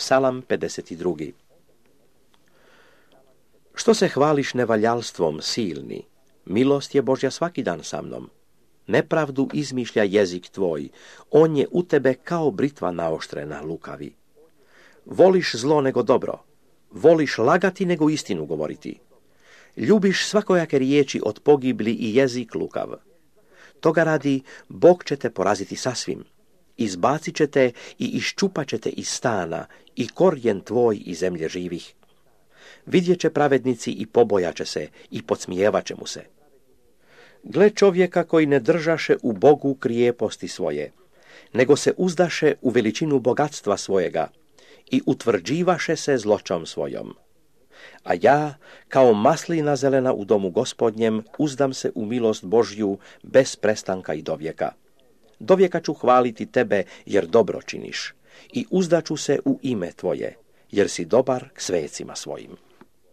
Psalam 52. Što se hvališ nevaljalstvom, silni? Milost je Božja svaki dan sa mnom. Nepravdu izmišlja jezik tvoj, on je u tebe kao britva naoštrena, lukavi. Voliš zlo nego dobro, voliš lagati nego istinu govoriti. Ljubiš svakojake riječi od pogibli i jezik lukav. Toga radi, Bog će te poraziti sasvim. Izbacit će te i iščupat će te iz stana i korijen tvoj iz zemlje živih. Vidjet će pravednici i pobojaće se i podsmijevat će mu se. Gle čovjeka koji ne držaše u Bogu krijeposti svoje, nego se uzdaše u veličinu bogatstva svojega i utvrđivaše se zloćom svojom. A ja, kao maslina zelena u domu Gospodnjem, uzdam se u milost Božju bez prestanka i dovijeka. Dovijeka ću hvaliti tebe, jer dobro činiš, i uzdaću se u ime tvoje, jer si dobar k svecima svojim.